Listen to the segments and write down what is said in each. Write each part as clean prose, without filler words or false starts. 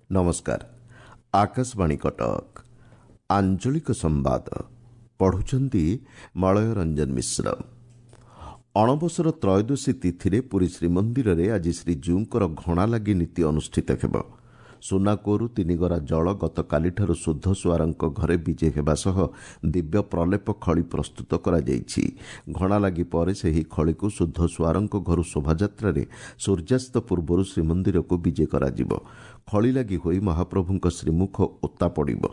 ନମସ୍କାର, ଆକାଶବାଣୀ କଟକ। ଆଞ୍ଚଳିକ ସମ୍ବାଦ ପଢ଼ୁଛନ୍ତି ମଳୟ ରଞ୍ଜନ ମିଶ୍ର। ଅଣବସର ତ୍ରୟୋଦଶୀ ତିଥିରେ ପୁରୀ ଶ୍ରୀମନ୍ଦିରରେ ଆଜି ଶ୍ରୀଜୀଉଙ୍କର ଘଣାଲାଗି ନୀତି ଅନୁଷ୍ଠିତ ହେବ। ସୁନାକୂଅରୁ ତିନିଗରା ଜଳ ଗତକାଲିଠାରୁ ଶୁଦ୍ଧ ସୁଆରଙ୍କ ଘରେ ବିଜେ ହେବା ସହ ଦିବ୍ୟ ପ୍ରଲେପ ଖଳି ପ୍ରସ୍ତୁତ କରାଯାଇଛି। ଘଣାଲାଗି ପରେ ସେହି ଖଳିକୁ ଶୁଦ୍ଧ ସୁଆରଙ୍କ ଘରୁ ଶୋଭାଯାତ୍ରାରେ ସୂର୍ଯ୍ୟାସ୍ତ ପୂର୍ବରୁ ଶ୍ରୀମନ୍ଦିରକୁ ବିଜେ କରାଯିବ। ଖଳିଲାଗି ହୋଇ ମହାପ୍ରଭୁଙ୍କ ଶ୍ରୀମୁଖ ଓତା ପଡ଼ିବ।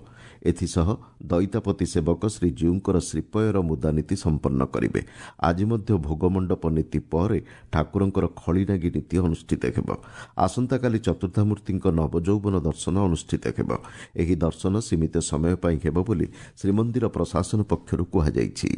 ଏଥିସହ ଦଇତାପତି ସେବକ ଶ୍ରୀଜୀଉଙ୍କର ଶ୍ରୀପୟର ମୁଦାନୀତି ସମ୍ପନ୍ନ କରିବେ। ଆଜି ମଧ୍ୟ ଭୋଗମଣ୍ଡପ ନୀତି ପରେ ଠାକୁରଙ୍କର ଖଳିନାଗି ନୀତି ଅନୁଷ୍ଠିତ ହେବ। ଆସନ୍ତାକାଲି ଚତୁର୍ଦ୍ଧାମୂର୍ତ୍ତିଙ୍କ ନବଯୌବନ ଦର୍ଶନ ଅନୁଷ୍ଠିତ ହେବ। ଏହି ଦର୍ଶନ ସୀମିତ ସମୟ ପାଇଁ ହେବ ବୋଲି ଶ୍ରୀମନ୍ଦିର ପ୍ରଶାସନ ପକ୍ଷରୁ କୁହାଯାଇଛି।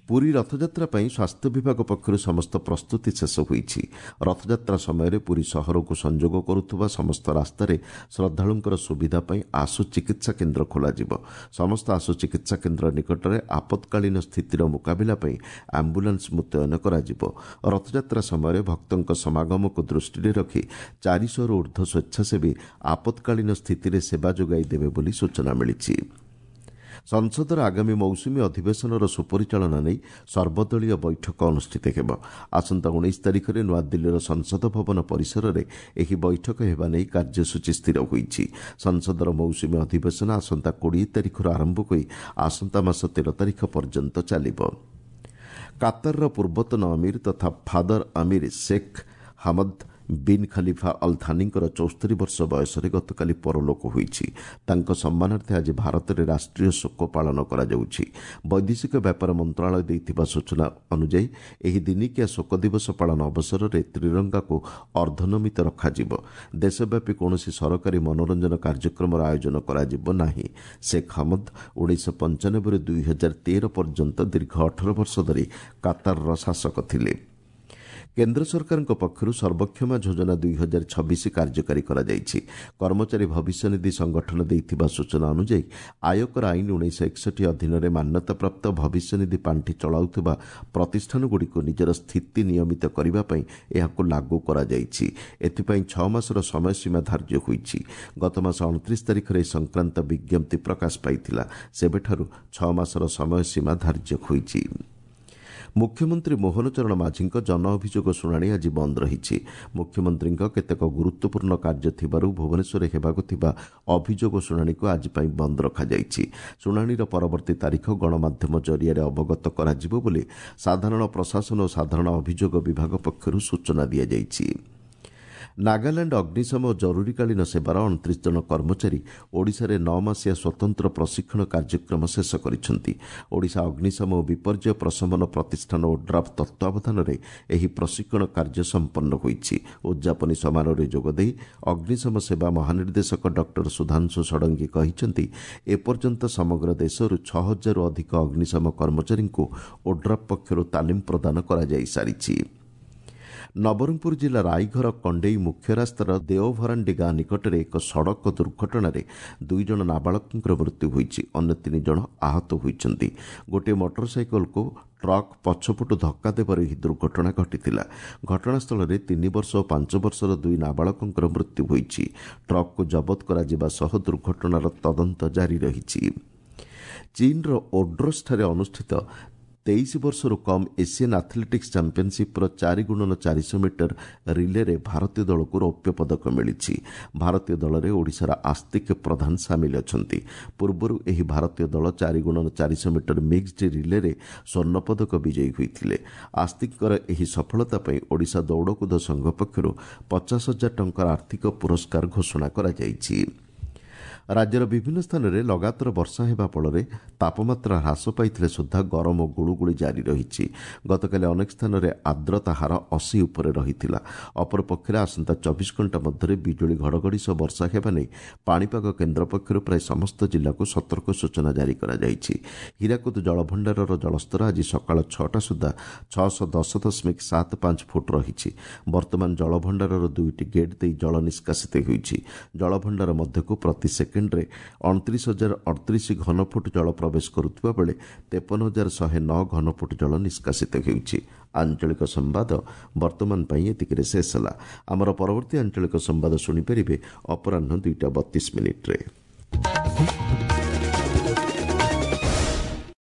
ପୁରୀ ରଥଯାତ୍ରା ପାଇଁ ସ୍ୱାସ୍ଥ୍ୟ ବିଭାଗ ପକ୍ଷରୁ ସମସ୍ତ ପ୍ରସ୍ତୁତି ଶେଷ ହୋଇଛି। ରଥଯାତ୍ରା ସମୟରେ ପୁରୀ ସହରକୁ ସଂଯୋଗ କରୁଥିବା ସମସ୍ତ ରାସ୍ତାରେ ଶ୍ରଦ୍ଧାଳୁଙ୍କର ସୁବିଧା ପାଇଁ ଆଶୁ ଚିକିତ୍ସା କେନ୍ଦ୍ର ଖୋଲାଯିବ। ସମସ୍ତ ଆଶୁ ଚିକିତ୍ସା କେନ୍ଦ୍ର ନିକଟରେ ଆପତ୍କାଳୀନ ସ୍ଥିତିର ମୁକାବିଲା ପାଇଁ ଆମ୍ବୁଲାନ୍ସ ମୁତୟନ କରାଯିବ। ରଥଯାତ୍ରା ସମୟରେ ଭକ୍ତଙ୍କ ସମାଗମକୁ ଦୃଷ୍ଟିରେ ରଖି 400ରୁ ଉର୍ଦ୍ଧ୍ୱ ସ୍ୱେଚ୍ଛାସେବୀ ଆପତ୍କାଳୀନ ସ୍ଥିତିରେ ସେବା ଯୋଗାଇ ଦେବେ ବୋଲି ସୂଚନା ମିଳିଛି। ସଂସଦର ଆଗାମୀ ମୌସୁମୀ ଅଧିବେଶନର ସୁପରିଚାଳନା ନେଇ ସର୍ବଦଳୀୟ ବୈଠକ ଅନୁଷ୍ଠିତ ହେବ। ଆସନ୍ତା 19 ତାରିଖରେ ନୂଆଦିଲ୍ଲୀର ସଂସଦ ଭବନ ପରିସରରେ ଏହି ବୈଠକ ହେବା ନେଇ କାର୍ଯ୍ୟସୂଚୀ ସ୍ଥିର ହୋଇଛି। ସଂସଦର ମୌସୁମୀ ଅଧିବେଶନ ଆସନ୍ତା 20 ତାରିଖରୁ ଆରମ୍ଭ ହୋଇ ଆସନ୍ତା ମାସ 13 ତାରିଖ ପର୍ଯ୍ୟନ୍ତ ଚାଲିବ। କାତାରର ପୂର୍ବତନ ଅମୀର ତଥା ଫାଦର ଅମୀର ଶେଖ୍ ହାମଦ ବିନ୍ ଖଲିଫା ଅଲ୍ ଥାନିଙ୍କର 74 ବର୍ଷ ବୟସରେ ଗତକାଲି ପରଲୋକ ହୋଇଛି। ତାଙ୍କ ସମ୍ମାନାର୍ଥେ ଆଜି ଭାରତରେ ରାଷ୍ଟ୍ରୀୟ ଶୋକ ପାଳନ କରାଯାଉଛି। ବୈଦେଶିକ ବ୍ୟାପାର ମନ୍ତ୍ରଣାଳୟ ଦେଇଥିବା ସୂଚନା ଅନୁଯାୟୀ ଏହି ଦିନିକିଆ ଶୋକ ଦିବସ ପାଳନ ଅବସରରେ ତ୍ରିରଙ୍ଗାକୁ ଅର୍ଦ୍ଧନମିତ ରଖାଯିବ। ଦେଶବ୍ୟାପୀ କୌଣସି ସରକାରୀ ମନୋରଞ୍ଜନ କାର୍ଯ୍ୟକ୍ରମର ଆୟୋଜନ କରାଯିବ ନାହିଁ। ଶେଖ୍ ହମଦ 1995ରୁ 2013 ପର୍ଯ୍ୟନ୍ତ ଦୀର୍ଘ 18 ବର୍ଷ ଧରି କାତାରର ଶାସକ ଥିଲେ। କେନ୍ଦ୍ର ସରକାରଙ୍କ ପକ୍ଷରୁ ସର୍ବକ୍ଷମା ଯୋଜନା 2026 କାର୍ଯ୍ୟକାରୀ କରାଯାଇଛି। କର୍ମଚାରୀ ଭବିଷ୍ୟନିଧି ସଂଗଠନ ଦେଇଥିବା ସୂଚନା ଅନୁଯାୟୀ ଆୟକର ଆଇନ 1961 ଅଧୀନରେ ମାନ୍ୟତାପ୍ରାପ୍ତ ଭବିଷ୍ୟନିଧି ପାଣ୍ଠି ଚଳାଉଥିବା ପ୍ରତିଷ୍ଠାନଗୁଡ଼ିକୁ ନିଜର ସ୍ଥିତି ନିୟମିତ କରିବା ପାଇଁ ଏହାକୁ ଲାଗୁ କରାଯାଇଛି। ଏଥିପାଇଁ 6 ମାସର ସମୟସୀମା ଧାର୍ଯ୍ୟ ହୋଇଛି। ଗତମାସ 29 ତାରିଖରେ ଏ ସଂକ୍ରାନ୍ତ ବିଜ୍ଞପ୍ତି ପ୍ରକାଶ ପାଇଥିଲା। ସେବେଠାରୁ 6 ମାସର ସମୟସୀମା ଧାର୍ଯ୍ୟ ହୋଇଛି। ମୁଖ୍ୟମନ୍ତ୍ରୀ ମୋହନ ଚରଣ ମାଝୀଙ୍କ ଜନ ଅଭିଯୋଗ ଶୁଣାଣି ଆଜି ବନ୍ଦ ରହିଛି। ମୁଖ୍ୟମନ୍ତ୍ରୀଙ୍କ କେତେକ ଗୁରୁତ୍ୱପୂର୍ଣ୍ଣ କାର୍ଯ୍ୟ ଥିବାରୁ ଭୁବନେଶ୍ୱରରେ ହେବାକୁ ଥିବା ଅଭିଯୋଗ ଶୁଣାଣିକୁ ଆଜି ପାଇଁ ବନ୍ଦ ରଖାଯାଇଛି। ଶୁଣାଣିର ପରବର୍ତ୍ତୀ ତାରିଖ ଗଣମାଧ୍ୟମ ଜରିଆରେ ଅବଗତ କରାଯିବ ବୋଲି ସାଧାରଣ ପ୍ରଶାସନ ଓ ସାଧାରଣ ଅଭିଯୋଗ ବିଭାଗ ପକ୍ଷରୁ ସୂଚନା ଦିଆଯାଇଛି। ନାଗାଲାଣ୍ଡ ଅଗ୍ନିଶମ ଓ ଜରୁରୀକାଳୀନ ସେବାର 29 ଜଣ କର୍ମଚାରୀ ଓଡ଼ିଶାରେ 9 ମାସିଆ ସ୍ୱତନ୍ତ୍ର ପ୍ରଶିକ୍ଷଣ କାର୍ଯ୍ୟକ୍ରମ ଶେଷ କରିଛନ୍ତି। ଓଡ଼ିଶା ଅଗ୍ନିଶମ ଓ ବିପର୍ଯ୍ୟୟ ପ୍ରଶମନ ପ୍ରତିଷ୍ଠାନ ଓଡ୍ରାଫ୍ ତତ୍ତ୍ୱାବଧାନରେ ଏହି ପ୍ରଶିକ୍ଷଣ କାର୍ଯ୍ୟ ସମ୍ପନ୍ନ ହୋଇଛି। ଉଦ୍ଯାପନୀ ସମାରୋହରେ ଯୋଗଦେଇ ଅଗ୍ନିଶମ ସେବା ମହାନିର୍ଦ୍ଦେଶକ ଡକ୍ଟର ସୁଧାଂଶୁ ଷଡ଼ଙ୍ଗୀ କହିଛନ୍ତି, ଏପର୍ଯ୍ୟନ୍ତ ସମଗ୍ର ଦେଶରୁ 6000ରୁ ଅଧିକ ଅଗ୍ନିଶମ କର୍ମଚାରୀଙ୍କୁ ଓଡ୍ରାଫ୍ ପକ୍ଷରୁ ତାଲିମ ପ୍ରଦାନ କରାଯାଇସାରିଛି। ନବରଙ୍ଗପୁର ଜିଲ୍ଲା ରାଇଘର କଣ୍ଡେଇ ମୁଖ୍ୟ ରାସ୍ତାର ଦେଓଭରାଣ୍ଡି ଗାଁ ନିକଟରେ ଏକ ସଡ଼କ ଦୁର୍ଘଟଣାରେ 2 ଜଣ ନାବାଳକଙ୍କର ମୃତ୍ୟୁ ହୋଇଛି। ଅନ୍ୟ 3 ଜଣ ଆହତ ହୋଇଛନ୍ତି। ଗୋଟିଏ ମୋଟରସାଇକେଲକୁ ଟ୍ରକ୍ ପଛପଟୁ ଧକ୍କା ଦେବାରୁ ଏହି ଦୁର୍ଘଟଣା ଘଟିଥିଲା। ଘଟଣାସ୍ଥଳରେ 3 ବର୍ଷ ଓ 5 ବର୍ଷର 2 ନାବାଳକଙ୍କର ମୃତ୍ୟୁ ହୋଇଛି। ଟ୍ରକ୍କୁ ଜବତ କରାଯିବା ସହ ଦୁର୍ଘଟଣାର ତଦନ୍ତ ଜାରି ରହିଛି। ଚୀନ୍ର ଓଡ୍ରୋସ୍ଠାରେ ଅନୁଷ୍ଠିତ 23 ବର୍ଷରୁ କମ୍ ଏସିଆନ୍ ଆଥଲେଟିକ୍ସ ଚାମ୍ପିୟନସିପ୍ର 4 ଗୁଣନ 400 ମିଟର ରିଲେରେ ଭାରତୀୟ ଦଳକୁ ରୌପ୍ୟ ପଦକ ମିଳିଛି। ଭାରତୀୟ ଦଳରେ ଓଡ଼ିଶାର ଆସ୍ତିକ ପ୍ରଧାନ ସାମିଲ ଅଛନ୍ତି। ପୂର୍ବରୁ ଏହି ଭାରତୀୟ ଦଳ 4 ଗୁଣନ 400 ମିଟର ମିକ୍ସଡ ରିଲେରେ ସ୍ୱର୍ଣ୍ଣ ପଦକ ବିଜୟୀ ହୋଇଥିଲେ। ଆସ୍ତିକଙ୍କର ଏହି ସଫଳତା ପାଇଁ ଓଡ଼ିଶା ଦୌଡ଼କୁଦ ସଂଘ ପକ୍ଷରୁ 50,000 ଟଙ୍କାର ଆର୍ଥିକ ପୁରସ୍କାର ଘୋଷଣା କରାଯାଇଛି। ରାଜ୍ୟର ବିଭିନ୍ନ ସ୍ଥାନରେ ଲଗାତାର ବର୍ଷା ହେବା ଫଳରେ ତାପମାତ୍ରା ହ୍ରାସ ପାଇଥିଲେ ସୁଦ୍ଧା ଗରମ ଓ ଗୁଳୁଗୁଳି ଜାରି ରହିଛି। ଗତକାଲି ଅନେକ ସ୍ଥାନରେ ଆର୍ଦ୍ରତା ହାର 80 ଉପରେ ରହିଥିଲା। ଅପରପକ୍ଷରେ ଆସନ୍ତା 24 ଘଣ୍ଟା ମଧ୍ୟରେ ବିଜୁଳି ଘଡ଼ଘଡ଼ି ସହ ବର୍ଷା ହେବା ନେଇ ପାଣିପାଗ କେନ୍ଦ୍ର ପକ୍ଷରୁ ପ୍ରାୟ ସମସ୍ତ ଜିଲ୍ଲାକୁ ସତର୍କ ସୂଚନା ଜାରି କରାଯାଇଛି। ହୀରାକୁଦ ଜଳଭଣ୍ଡାରର ଜଳସ୍ତର ଆଜି ସକାଳ 6ଟା ସୁଦ୍ଧା 610.75 ଫୁଟ ରହିଛି। ବର୍ତ୍ତମାନ ଜଳଭଣ୍ଡାରର 2ଟି ଗେଟ୍ ଦେଇ ଜଳ ନିଷ୍କାସିତ ହେଉଛି। ଜଳଭଣ୍ଡାର ମଧ୍ୟକୁ ପ୍ରତି ସେକେଣ୍ଡରେ 29,038 ଘନଫୁଟ ଜଳ ପ୍ରବେଶ କରୁଥିବା ବେଳେ 53,109 ଘନଫୁଟ ଜଳ ନିଷ୍କାସିତ ହେଉଛି। ଆଞ୍ଚଳିକ ସମ୍ବାଦ ବର୍ତ୍ତମାନ ପାଇଁ ଏତିକିରେ ଶେଷ ହେଲା। ଆମର ପରବର୍ତ୍ତୀ ଆଞ୍ଚଳିକ ସମ୍ବାଦ ଶୁଣିପାରିବେ ଅପରାହ୍ନ 2ଟା 32 ମିନିଟ୍ରେ।